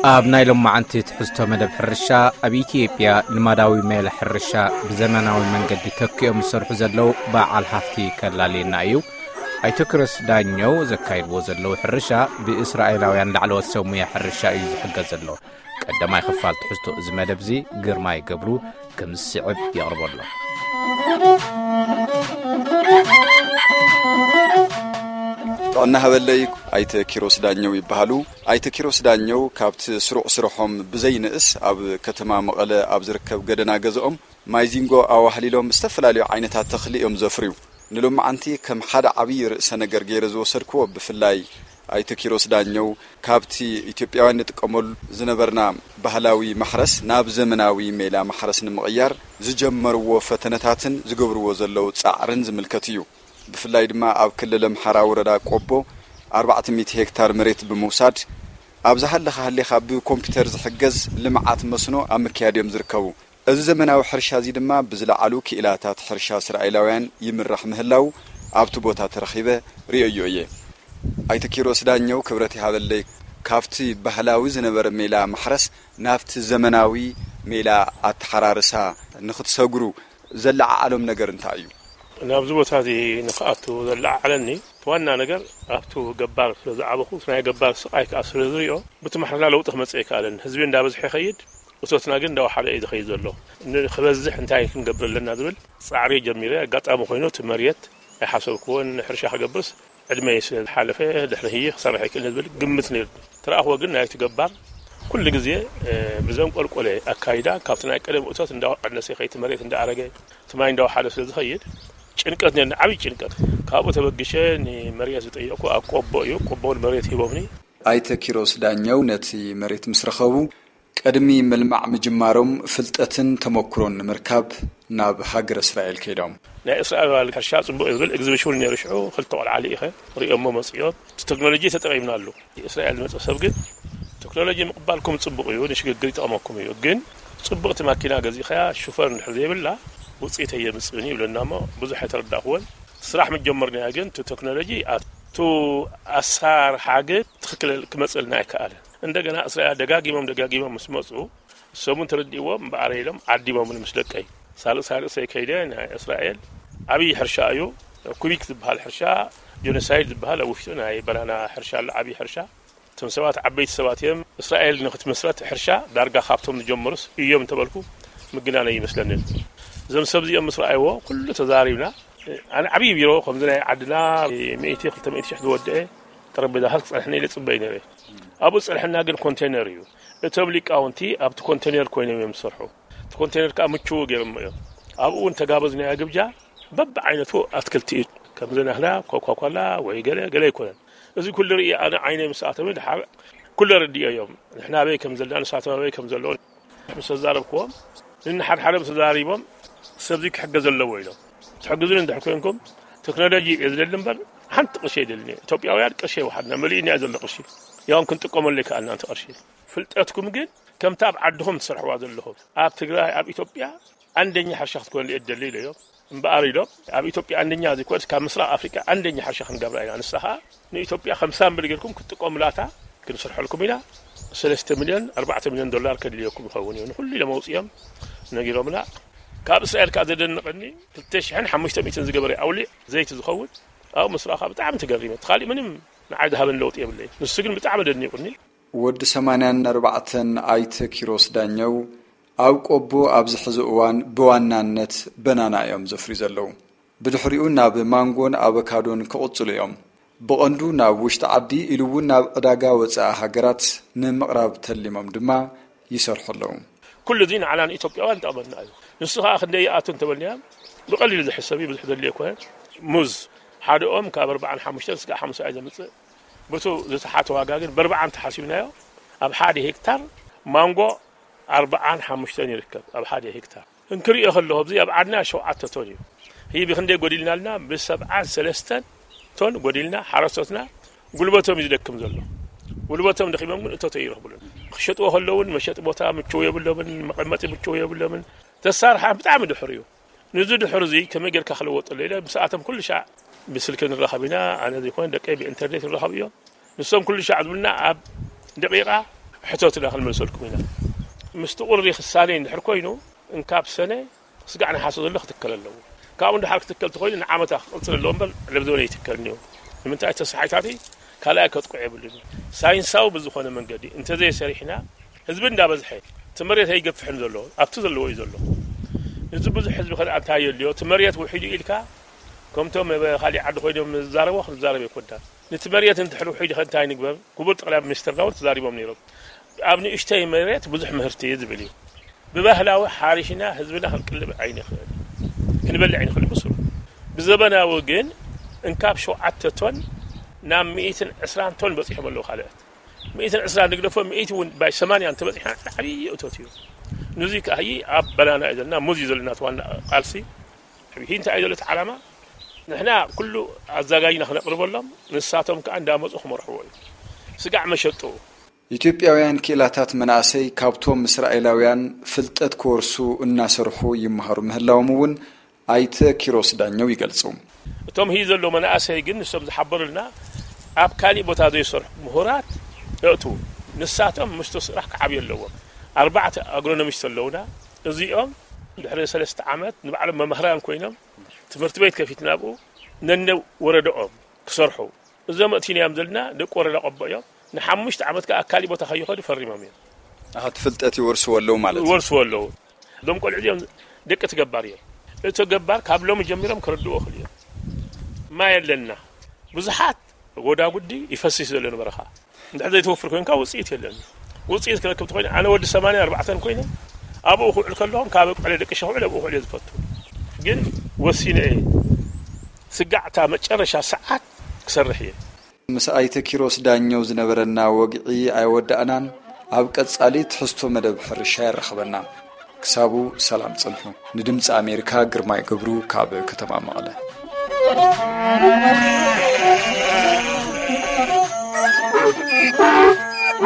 ኣብ ናይ ሎማዓንቲ ትሕዝቶ መደብ ሕርሻ፣ ኣብ ኢትዮጵያ ልማዳዊ ሜላ ሕርሻ ብዘመናዊ መንገዲ ተኪኦም ዝሰርሑ ዘለዉ በዓል ሃፍቲ ከላልየና እዩ። ኣይተ ኪሮስ ዳኘው ዘካይድዎ ዘለዉ ሕርሻ ብእስራኤላውያን ላዕለዎት ሰብ ሙያ ሕርሻ እዩ ዝሕገዝ ዘሎ። ቀዳማይ ክፋል ትሕዝቶ እዚ መደብ እዚ ግርማይ ገብሩ ከም ዝስዕብ የቕርቦ ኣሎ። ጥዕና ሃበለይ። ኣይተ ኪሮስ ዳኘው ይበሃሉ። ኣይተ ኪሮስ ዳኘው ካብቲ ስሩዕ ስርሖም ብዘይንእስ ኣብ ከተማ መቐለ ኣብ ዝርከብ ገደና ገዝኦም ማይዚንጎ ኣዋህሊሎም ዝተፈላለዩ ዓይነታት ተኽሊ እዮም ዘፍርዩ። ንሎማዓንቲ ከም ሓደ ዓብዪ ርእሰ ነገር ገይረ ዝወሰድክዎ ብፍላይ ኣይተ ኪሮስ ዳኘው ካብቲ ኢትዮጵያውያን ንጥቀመሉ ዝነበርና ባህላዊ ማሕረስ ናብ ዘመናዊ ሜላ ማሕረስ ንምቕያር ዝጀመርዎ ፈተነታትን ዝገብርዎ ዘለዉ ጻዕርን ዝምልከት እዩ። ብፍላይ ድማ ኣብ ክልል ኣምሓራ ወረዳ ቆቦ ኣርባዕተ ሚእቲ ሄክታር መሬት ብምውሳድ ኣብ ዝሃለኻ ሃሊኻ ብኮምፒውተር ዝሕገዝ ልምዓት መስኖ ኣብ ምክያድ እዮም ዝርከቡ። እዚ ዘመናዊ ሕርሻ እዚ ድማ ብዝለዓሉ ክኢላታት ሕርሻ እስራኤላውያን ይምራሕ ምህላው ኣብቲ ቦታ ተረኺበ ርእየዮ እየ። ኣይተ ኪሮስ ዳኘው ክብረት ይሃበለይ፣ ካብቲ ባህላዊ ዝነበረ ሜላ ማሕረስ ናብቲ ዘመናዊ ሜላ ኣተሓራርሳ ንኽትሰግሩ ዘለዓዓሎም ነገር እንታይ እዩ? ናብዚ ቦታ እዚ ንኽኣቱ ዘለዓዓለኒ እቲ ዋና ነገር ኣብቱ ገባር ስለ ዝዓበኹ፣ እቲ ናይ ገባር ስቓይ ከኣ ስለ ዝሪኦ፣ ብቲ ማሕረላ ለውጢ ክመጽእ ኣይከኣለን። ህዝቢ እንዳበዝሐ ይኸይድ፣ እቶትና ግን እንዳወሓደ እዩ ዝኸይድ ዘሎ። ንኽበዝሕ እንታይ ክንገብር ኣለና ዝብል ጻዕሪ ጀሚረ። ኣጋጣሚ ኮይኑ እቲ መሬት ኣይሓሰብክዎን፣ ሕርሻ ክገብርስ ዕድመይ ስለ ዝሓለፈ ድሕሪ ህይኽ ክሰርሕ ኣይክእልን ዝብል ግምት ነይሩ። ትረኣኽዎ ግን ናይቲ ገባር ኩሉ ግዜ፣ እ፣ ብዘንቆልቆለ ኣካይዳ ካብቲ ናይ ቀደም እቶት እንዳቐነሰ ይኸይድ፣ እቲ መሬት እንዳኣረገ፣ እቲ ማይ እንዳወሓደ ስለ ዝኸይድ ጭንቀት ነይርኒ፣ ዓብዪ ጭንቀት። ካብኡ ተበጊሸ ንመሬት ዝጠየቕኩ ኣብ ቆቦ እዩ። ቆቦ እውን መሬት ሂቦምኒ። ኣይተ ኪሮስ ዳኘው ነቲ መሬት ምስ ረኸቡ ቅድሚ ምልማዕ ምጅማሮም ፍልጠትን ተመኩሮን ንምርካብ ናብ ሃገረ እስራኤል ከይዶም። ናይ እስራኤል ሕርሻ ጽቡቕ እዩ ዝብል ኤግዚቢሽን እውን ነይሩ። ሽዑ ክልተ ቆልዓ ልኢኸ ርእዮሞ መጺኦም። እቲ ቴክኖሎጂ ተጠቒምናሉ። እስራኤል ዝመጸ ሰብ ግን ቴክኖሎጂ ምቕባልኩም ጽቡቕ እዩ፣ ንሽግግር ይጠቕመኩም እዩ። ግን ጽቡቕቲ ማኪና ገዚእኻያ ሹፈር እንድሕር ዘይብላ ውጽኢት ኣየምጽእን እዩ ይብለና እሞ ብዙሕ ኣይተረዳእኽዎን። ስራሕ ምጀመርናያ ግን እቲ ቴክኖሎጂ ኣቱ ኣሰራርሓ ግን ትኽክል ክመጽእልና ኣይከኣለን። እንደገና እስራኤል ደጋጊሞም ደጋጊሞም ምስ መጹ እሶም እውን ተረዲእዎም እምበኣር ኢሎም ዓዲሞምኒ ምስ ደቀይ። ሳልእ ሳልእ ሰይ ከይደ ናይ እስራኤል ዓብዪ ሕርሻ እዩ። ኩቢክ ዝበሃል ሕርሻ ጆኖሳይድ ዝበሃል ኣብ ውሽጡ ናይ በናና ሕርሻ ኣሎ፣ ዓብዪ ሕርሻ። እቶም ሰባት ዓበይቲ ሰባት እዮም። እስራኤል ንክትመስረት ሕርሻ ዳርጋ ካብቶም ዝጀመሩስ እዮም እንተበልኩ ምግናነ ይመስለንን። እዞም ሰብ እዚኦም ምስ ረኣይዎ ኩሉ ተዛሪብና። ኣነ ዓብዪ ቢሮ ከምዚ ናይ ዓድና ሚእቲ ክልተ ሚእቲ ሽሕ ዝወደአ ጠረጴዛታት ክጸንሐኒ ኢለ ጽበይ ነይረ። ኣብኡ ዝጸንሐና ግን ኮንቴነር እዩ። እቶም ሊቃውንቲ ኣብቲ ኮንቴነር ኮይኖም እዮም ዝሰርሑ። እቲ ኮንቴነር ከኣ ምችው ገይሮሞ እዮም። ኣብኡ እውን ተጋበዝናዮ ግብጃ በብዓይነቱ ኣትክልቲ እዩ። ከምዚ ናህና ኮካኮላ ወይ ገለ ገለ ኣይኮነን። እዚ ኩሉ ርኢ ኣነ ዓይነይ ምስ ኣተወ ድሓር ኩሉ ኣረዲኦ እዮም። ንሕና ኣበይ ከም ዘለና ንሳቶም ኣበይ ከም ዘለዉ ምስ ተዛረብክዎም ንንሓድሓደ ምስ ተዛሪቦም ሰብዚ ክሕገዝ ኣለዎ ኢሎም። ትሕግዙኒ እንድሕር ኮንኩም ቴክኖሎጂ እየ ዝደሊ እምበር ሓንቲ ቅርሺ ኣይደልን እየ። ኢትዮጵያውያን ቅርሺ ይወሓድና መሊእና እየ ዘሎ ቅርሺ። ያውን ክንጥቀመሉ ይከኣልና እቲ ቅርሺ። ፍልጠትኩም ግን ከምታ ኣብ ዓድኹም ትሰርሕዋ ዘለኹም ኣብ ትግራይ ኣብ ኢትዮጵያ ኣንደኛ ሕርሻ ክትኮኑ እየ ዝደሊ ኢለዮም። እምበኣር ኢሎም ኣብ ኢትዮጵያ ኣንደኛ ዘይኮነስ ካብ ምስራቕ ኣፍሪቃ ኣንደኛ ሕርሻ ክንገብራ ኢና። ንሳ ኸኣ ንኢትዮጵያ ከምሳ እምብል ጌርኩም ክትጥቀሙላታ ክንሰርሐልኩም ኢና። ሰለስተ ሚልዮን ኣርባዕተ ሚልዮን ዶላር ከድልየኩም ይኸውን እዩ ንኹሉ ኢሎም ኣውፅኦም ነጊሮምና። ካብ እስራኤል ከኣ ዘደንቐኒ ክልተ ሽሕን ሓሙሽተ ሚእትን ዝገበረ ኣውሊዕ ዘይቲ ዝኸውን ኣብኡ ምስ ረኣኻ ብጣዕሚ ተገሪመ። እቲ ካሊእ ምንም ንዓይ ዝሃበኒ ለውጢ የብለይ። ንሱ ግን ብጣዕሚ ደኒቑኒ። ወዲ ሰማንያን ኣርባዕተን ኣይተ ኪሮስ ዳኘው ኣብ ቆቦ ኣብዚ ሕዚ እዋን ብዋናነት በናና እዮም ዘፍርዩ ዘለዉ። ብድሕሪኡ ናብ ማንጎን ኣቮካዶን ክቕጽሉ እዮም። ብቐንዱ ናብ ውሽጢ ዓዲ ኢሉ እውን ናብ ዕዳጋ ወጻኢ ሃገራት ንምቕራብ ተሊሞም ድማ ይሰርሑ ኣለዉ። ኩሉ እዚ ንዓና ንኢትዮጵያውያን ይጠቕመና እዩ። ንሱ ኸኣ ክንደይ ይኣቱ እንተበልናዮ ብቐሊሉ ዝሕሰብ እዩ፣ ብዙሕ ዘድልዮ ኣይኮነን። ሙዝ ሓደ ኦም ካብ ኣርባዓን ሓሙሽተን ስጋዕ ሓምሳ እዩ ዘምጽእ። ብቱ ዝተሓተ ዋጋ ግን ብኣርባዓ እንተሓሲብናዮ ኣብ ሓደ ሄክታር ማንጎ ኣርባዓን ሓሙሽተን ይርከብ ኣብ ሓደ ሄክታር። እንክሪኦ ከለኹ ኣብዚ ኣብ ዓድና ሸውዓተ ቶን እዩ። ህይቢ ክንደይ ጎዲልናልና? ብሰብዓን ሰለስተን ቶን ጎዲልና። ሓረስቶትና ጉልበቶም እዩ ዝደክም ዘሎ። ጉልበቶም ደኺሞም ግን እቶቶ ይረኽብሉን። ክሸጥዎ ከለውን መሸጢ ቦታ ምችው የብሎምን፣ መቐመጢ ምችው የብሎምን። ተሳርሓ ብጣዕሚ ድሑር እዩ። ንዚ ድሑር እዚ ከመይ ጌርካ ክልወጠሉ ኢለ ምስኣቶም ኩሉ ሻዕ ብስልኪ ንራኸብ ኢና። ኣነ ዘይኮነ ደቀይ ብኢንተርኔት ንራኸብ እዮም። ንሶም ኩሉ ሻዕ ዝብሉና ኣብ ደቂቓ ሕቶትና ክንመልሰልኩም ኢና። ምስቲ ቁሪ ክሳነ እንድሕር ኮይኑ፣ እንካብ ሰነ ስጋዕ ነሓሰ ዘሎ ክትከል ኣለዎ። ካብኡ እንድሓር ክትከል ተኾይኑ ንዓመታ ክቕጽል ኣለዎ እምበር፣ ለብዘበነ ይትከልኒ እዩ። ንምንታይ? ተሳሓይታቲ ካልኣይ ከጥቅዑ የብሉን። ሳይንሳዊ ብዝኾነ መንገዲ እንተዘይሰሪሕና፣ ህዝቢ እንዳበዝሐ፣ እቲ መሬት ኣይገፍሕን ዘሎ፣ ኣብቲ ዘለዎ እዩ ዘሎ። እዚ ብዙሕ ህዝቢ ከ እንታይ የድልዮ? እቲ መሬት ውሒዱ ኢልካ፣ ከምቶም ኣብ ካሊእ ዓዲ ኮይኖም ዝዛረቦ ክንዛረብ ኣይኮናን። ነቲ መሬት እንድሕር ውሒዱ ከ እንታይ ንግበር? ክቡር ጠቕላይ ሚኒስትርና እውን ተዛሪቦም ነይሮም። ኣብ ንእሽተይ መሬት ብዙሕ ምህርቲ እዩ ዝብል እዩ። ብባህላዊ ሓሪሽና ህዝብና ክንቅልብ ኣይንኽእል፣ ክንበልዕ ኣይንኽእል ብስሩ። ብዘበናዊ ግን እንካብ ሸውዓተ ቶን ናብ ሚእትን ዕስራን ቶን በፂሖም ኣለዉ። ካልኦት ሚእትን ዕስራን ንግደፎ፣ ሚእቲ እውን ባይ ሰማንያ እንተበፂሕና ዓብዪ እቶት እዩ። ንዙይ ከኣ ኣብ በናና እዩ ዘለና፣ ሙዝ እዩ ዘለና እቲ ዋና ቃልሲ። ሕጂ እንታይ እዩ ዘሎ እቲ ዓላማ? ንሕና ኩሉ ኣዘጋጅና ክነቕርበሎም፣ ንሳቶም ከኣ እንዳመፁ ክመርሕዎ እዩ። ስጋዕ መሸጡ። ኢትዮጵያውያን ክኢላታት መናእሰይ ካብቶም እስራኤላውያን ፍልጠት ክወርሱ እናሰርሑ ይመሃሩ ምህላዎም እውን ኣይተ ኪሮስ ዳኘው ይገልጹ። እቶም ህይ ዘሎ መናእሰይ ግን ንሶም ዝሓበሩልና ኣብ ካሊእ ቦታ ዘይሰርሑ ምሁራት የእትዉ። ንሳቶም ምስቲ ስራሕ ክዓብዩ ኣለዎም። ኣርባዕተ ኣግሮኖሚስት ኣለዉና። እዚኦም ድሕሪ ሰለስተ ዓመት ንባዕሎም መምህራን ኮይኖም ትምህርቲ ቤት ከፊትና ኣብኡ ነነ ወረደኦም ክሰርሑ እዞም ኣእቲናዮም ዘለና ደቂ ወረዳ ቆቦ እዮም። ንሓሙሽተ ዓመት ከኣ ኣብ ካሊእ ቦታ ከይኸዱ ፈሪሞም እዮም። ኣሃ፣ እቲ ፍልጠት ይወርስዎ ኣለዉ ማለት እዩ። ይወርስዎ ኣለዉ። እዞም ቆልዑ እዚኦም ደቂ እቲ ገባር እዮም። እቲ ገባር ካብ ሎሚ ጀሚሮም ክርድዎ ይኽእሉ እዮም። ማይ ኣለና። ብዙሓት ጎዳጉዲ ይፈስስ ዘሎ ንበረኻ። እንድሕር ዘይትወፍር ኮይንካ ውፅኢት የለን። ውፅኢት ክረክብ ተኮይኑ ኣነ ወዲ ሰማንያ ኣርባዕተን ኮይነ ኣብኡ ክውዕል ከለኹም ካብ ዕለ ደቂ ሸኹ ዕለ ኣብኡ ክውዕል እየ ዝፈቱ። ግን ወሲነ እየ። ስጋዕታ መጨረሻ ሰዓት ክሰርሕ እየ። ምስ ኣይተ ኪሮስ ዳኘው ዝነበረና ወግዒ ኣይወዳእናን። ኣብ ቀጻሊ ትሕዝቶ መደብ ሕርሻ የራኽበና። ክሳቡ ሰላም ጽንሑ። ንድምጺ ኣሜሪካ ግርማይ ገብሩ ካብ ከተማ መቐለ።